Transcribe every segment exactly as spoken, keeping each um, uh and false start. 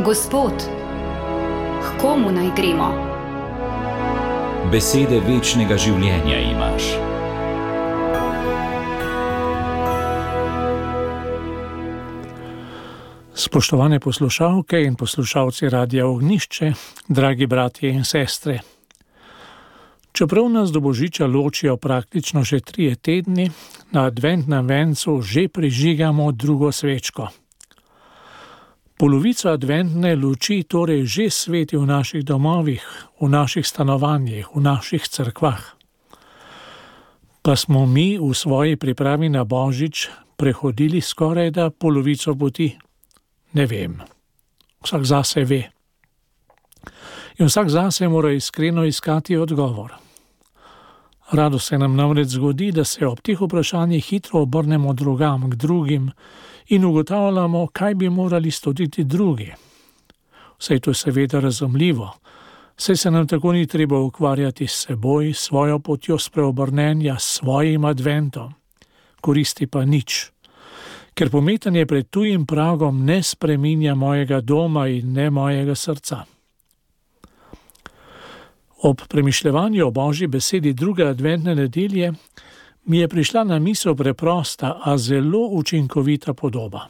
Gospod, k komu naj gremo? Besede večnega življenja imaš. Spoštovane poslušalke in poslušalci Radia Ognjišče, dragi bratje in sestre. Čeprav nas do Božiča ločijo praktično že trije tedni, na adventnem vencu že prižigamo drugo svečko. Polovica adventne luči torej že sveti v naših domovih, v naših stanovanjih, v naših cerkvah. Pa smo mi v svoji pripravi na Božič prehodili skorajda polovico poti? Ne vem. Vsak zase ve. In vsak zase mora iskreno iskati odgovor. Rado se nam namreč zgodi, da se ob teh vprašanjih hitro obrnemo drugam, k drugim in ugotavljamo, kaj bi morali storiti drugi. Vse to je seveda razumljivo, saj se nam tako ni treba ukvarjati s seboj, svojo potjo spreobrnenja, s svojim adventom. Koristi pa nič, ker pometanje pred tujim pragom ne spreminja mojega doma in ne mojega srca. Ob premišljevanju o Božji besedi druge adventne nedelje mi je prišla na misel preprosta, a zelo učinkovita podoba.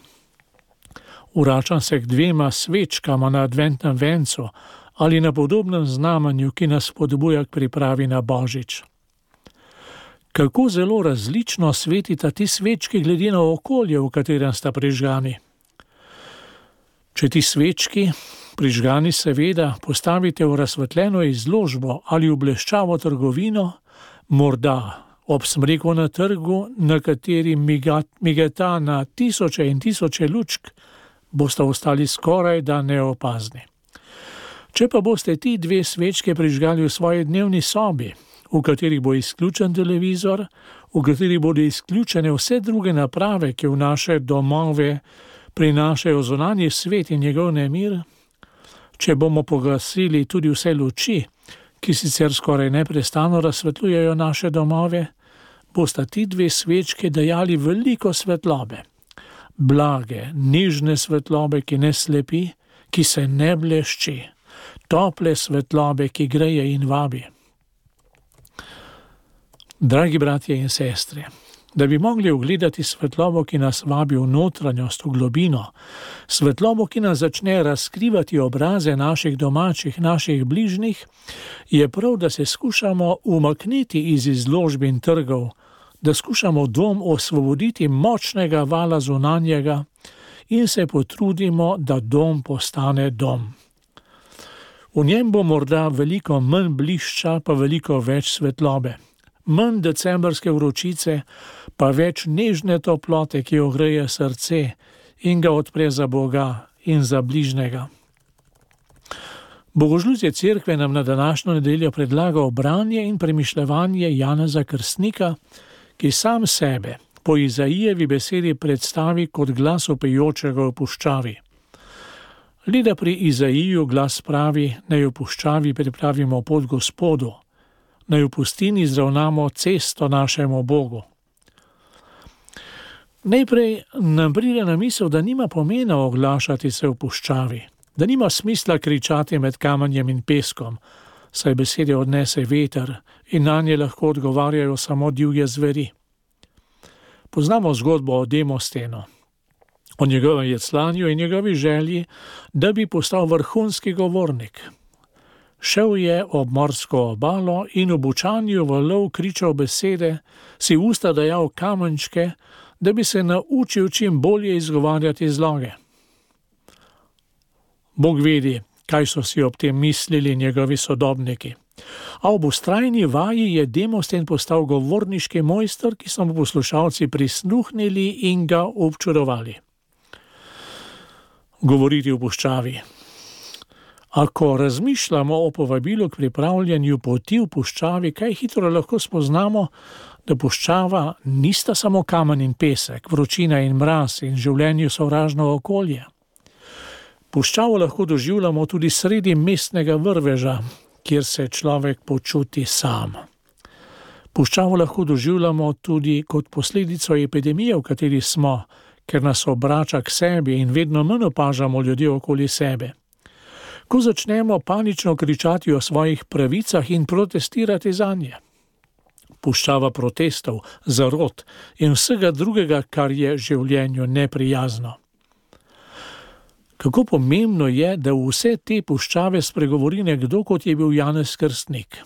Vračam se k dvema svečkama na adventnem vencu ali na podobnem znamenju, ki nas spodbuja k pripravi na Božič. Kako zelo različno svetita ti svečki glede na okolje, v katerem sta prižgani. Če ti svečki, prižgani seveda, postavite v razsvetljeno izložbo ali v bleščavo trgovino, morda ob smreku na trgu, na kateri migeta na tisoče in tisoče lučk, boste ostali skoraj da neopazni. Če pa boste ti dve svečke prižgali v svoji dnevni sobi, v kateri bo izključen televizor, v kateri bodo izključene vse druge naprave, ki v naše domove prinašajo zunanji svet in njegov nemir, če bomo pogasili tudi vse luči, ki sicer skoraj neprestano razsvetljujejo naše domove, bosta ti dve svečke dajali veliko svetlobe. Blage, nežne svetlobe, ki ne slepi, ki se ne blešči, tople svetlobe, ki greje in vabi. Dragi bratje in sestre, da bi mogli ugledati svetlobo, ki nas vabi v notranjost, v globino, svetlobo, ki nas začne razkrivati obraze naših domačih, naših bližnjih, je prav, da se skušamo umakniti iz izložb in trgov, da skušamo dom osvoboditi močnega vala zunanjega in se potrudimo, da dom postane dom. V njem bo morda veliko manj blišča, pa veliko več svetlobe. Manj decembrske vročice, pa več nežne toplote, ki ogreje srce in ga odpre za Boga in za bližnjega. Bogožljudje cerkve nam na današnjo nedeljo predlaga branje in premišljevanje Janeza Krstnika, ki sam sebe po Izaijevi besedi predstavi kot glas vpijočega v puščavi. Le da pri Izaiju glas pravi, naj v puščavi pripravimo pot Gospodu, naj v pustini zravnamo cesto našemu Bogu. Najprej nam pride na misel, da nima pomena oglašati se v puščavi, da nima smisla kričati med kamenjem in peskom, saj besede odnese veter in na nje lahko odgovarjajo samo divje zveri. Poznamo zgodbo o Demostenu, o njegovem jeclanju in njegovi želji, da bi postal vrhunski govornik. Šel je ob morsko obalo in v bučanju valov kričal besede, si v usta dajal kamenčke, da bi se naučil čim bolje izgovarjati zloge. Bog vedi, kaj so si ob tem mislili njegovi sodobniki. A ob vztrajni vaji je Demosten postal govorniški mojster, ki so mu poslušalci prisluhnili in ga občudovali. Govoriti v puščavi. Ako razmišljamo o povabilu k pripravljanju poti v puščavi, kaj hitro lahko spoznamo, da puščava nista samo kamen in pesek, vročina in mraz in življenju sovražno okolje. Puščavo lahko doživljamo tudi sredi mestnega vrveža, kjer se človek počuti sam. Puščavo lahko doživljamo tudi kot posledico epidemije, v kateri smo, ker nas obrača k sebi in vedno manj opažamo ljudi okoli sebe. ko začnemo panično kričati o svojih pravicah in protestirati zanje. Puščava protestov, zarot in vsega drugega, kar je življenju neprijazno. Kako pomembno je, da v vse te puščave spregovori nekdo, kot je bil Janez Krstnik.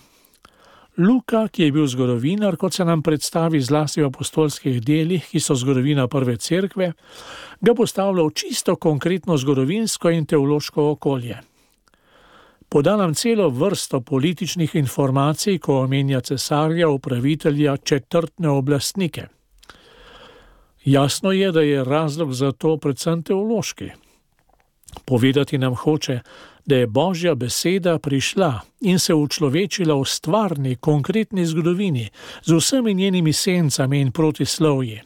Luka, ki je bil zgodovinar, kot se nam predstavi zlasti v apostolskih delih, ki so zgodovina prve cerkve, ga postavlja v čisto konkretno zgodovinsko in teološko okolje. Poda nam celo vrsto političnih informacij, ko omenja cesarja, upravitelja, četrtne oblastnike. Jasno je, da je razlog za to predvsem teološki. Povedati nam hoče, da je Božja beseda prišla in se učlovečila v stvarni, konkretni zgodovini, z vsemi njenimi sencami in protislovji.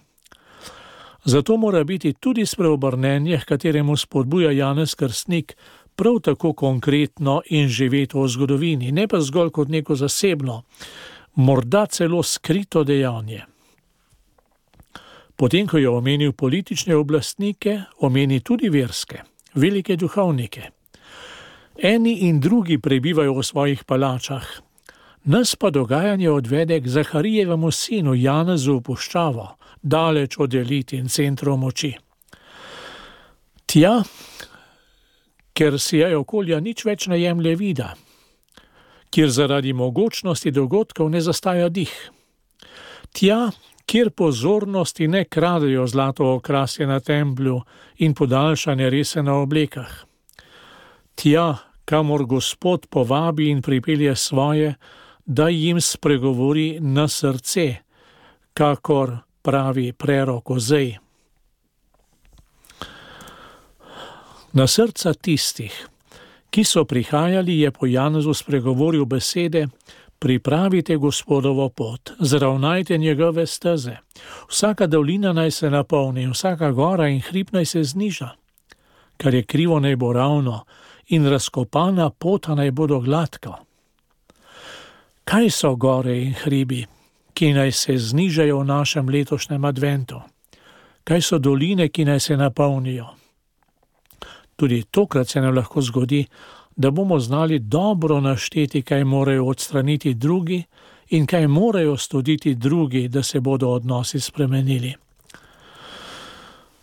Zato mora biti tudi spreobrnenje, kateremu spodbuja Janez Krstnik, prav tako konkretno in živeto v zgodovini, ne pa zgolj kot neko zasebno, morda celo skrito dejanje. Potem, ko je omenil politične oblastnike, omeni tudi verske, velike duhovnike. Eni in drugi prebivajo v svojih palačah. Nas pa dogajanje odvede k Zaharijevemu sinu Janezu v puščavo, daleč od elit in centrov moči. Tja, ker si je okolja nič več ne jemlje vida, kjer zaradi mogočnosti dogodkov ne zastaja dih. Tja, kjer pozornosti ne kradejo zlato okrasje na templju in podaljšane rese na oblekah. Tja, kamor Gospod povabi in pripelje svoje, da jim spregovori na srce, kakor pravi prerok Ozej. Na srca tistih, ki so prihajali, je po Janezu spregovoril besede: pripravite Gospodovo pot, zravnajte njegove steze. Vsaka dolina naj se napolni, vsaka gora in hrib naj se zniža. Kar je krivo, naj bo ravno in razkopana pota naj bodo gladko. Kaj so gore in hribi, ki naj se znižajo v našem letošnjem adventu? Kaj so doline, ki naj se napolnijo? Tudi tokrat se nam lahko zgodi, da bomo znali dobro našteti, kaj morajo odstraniti drugi in kaj morajo storiti drugi, da se bodo odnosi spremenili.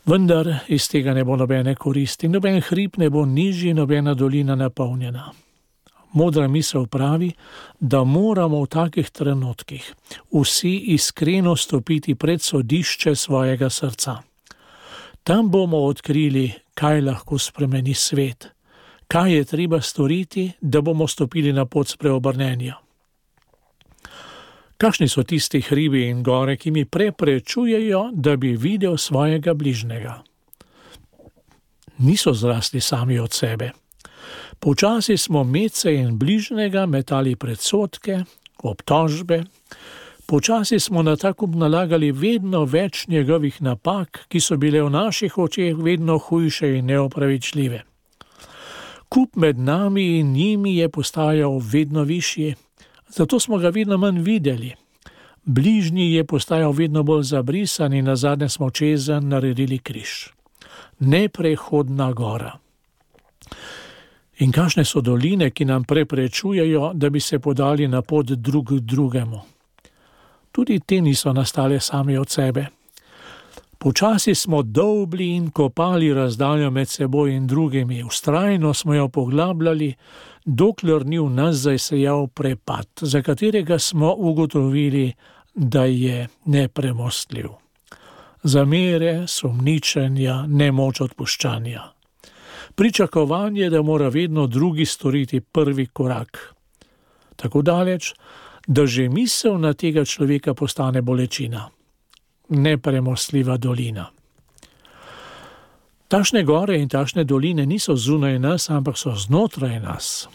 Vendar iz tega ne bo nobene koristi, noben hrib ne bo nižji, nobena dolina napolnjena. Modra misel pravi, da moramo v takih trenutkih vsi iskreno stopiti pred sodišče svojega srca. Tam bomo odkrili, kaj lahko spremeni svet, kaj je treba storiti, da bomo stopili na pot spreobrnenja. Kakšni so tisti hribi in gore, ki mi preprečujejo, da bi videl svojega bližnjega? Niso zrasli sami od sebe. Počasi smo medse in bližnjega metali predsodke, obtožbe, počasi smo na takup nalagali vedno več njegovih napak, ki so bile v naših očeh vedno hujše in neopravičljive. Kup med nami in njimi je postajal vedno višji, zato smo ga vedno manj videli. Bližnji je postajal vedno bolj zabrisan in nazadnje smo čezenj naredili križ. Neprehodna gora. In kakšne so doline, ki nam preprečujejo, da bi se podali na pot drug drugemu? Tudi te niso nastale sami od sebe. Počasi smo dolbli in kopali razdaljo med seboj in drugimi, vztrajno smo jo poglabljali, dokler ni v nas zasejal prepad, za katerega smo ugotovili, da je nepremostljiv. Zamere, sumničenja, nemoč odpuščanja. Pričakovanje, da mora vedno drugi storiti prvi korak. Tako daleč, da že misel na tega človeka postane bolečina. Nepremostljiva dolina. Takšne gore in takšne doline niso zunaj nas, ampak so znotraj nas.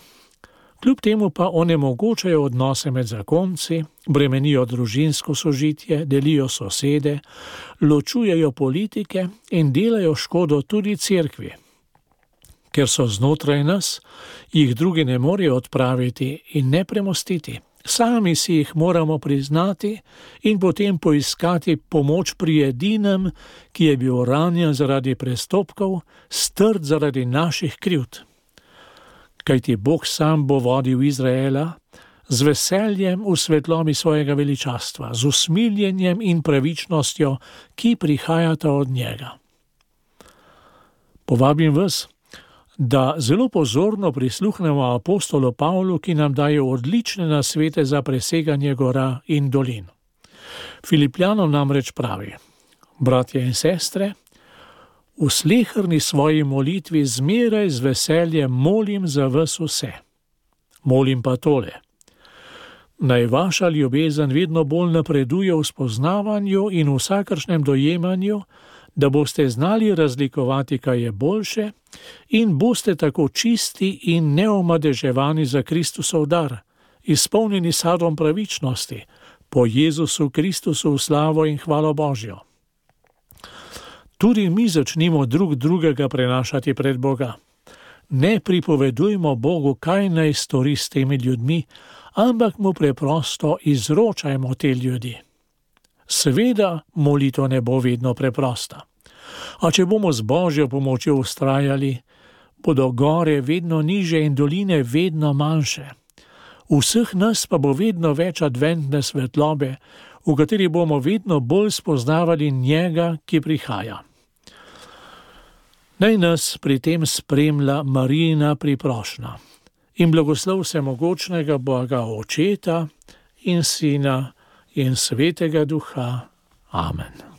Kljub temu pa onemogočajo odnose med zakonci, bremenijo družinsko sožitje, delijo sosede, ločujejo politike in delajo škodo tudi cerkvi. Ker so znotraj nas, jih drugi ne morejo odpraviti in ne premostiti. Sami si jih moramo priznati in potem poiskati pomoč pri edinem, ki je bil ranjen zaradi prestopkov, strt zaradi naših krivd. kajti Bog sam bo vodil Izraela z veseljem v svetlobi svojega veličastva, z usmiljenjem in pravičnostjo, ki prihajata od njega. Povabim vas, da zelo pozorno prisluhnemo apostolu Pavlu, ki nam daje odlične nasvete za preseganje gora in dolin. Filipljanom namreč pravi: bratje in sestre, v sleherni svoji molitvi zmeraj z veseljem molim za vas vse. Molim pa tole: naj vaša ljubezen vedno bolj napreduje v spoznavanju in vsakršnem dojemanju, da boste znali razlikovati, kaj je boljše, in boste tako čisti in neomadeževani za Kristusov dar, izpolnjeni sadom pravičnosti, po Jezusu Kristusu v slavo in hvalo Božjo. Tudi mi začnimo drug drugega prenašati pred Boga. Ne pripovedujmo Bogu, kaj naj stori s temi ljudmi, ampak mu preprosto izročajmo te ljudi. Seveda molitev ne bo vedno preprosta. A če bomo z Božjo pomočjo vztrajali, bodo gore vedno niže in doline vedno manjše. Vseh nas pa bo vedno več adventne svetlobe, v kateri bomo vedno bolj spoznavali njega, ki prihaja. Naj nas pri tem spremlja Marijina priprošnja in blagoslov vsemogočnega Boga Očeta in Sina in Svetega Duha. Amen.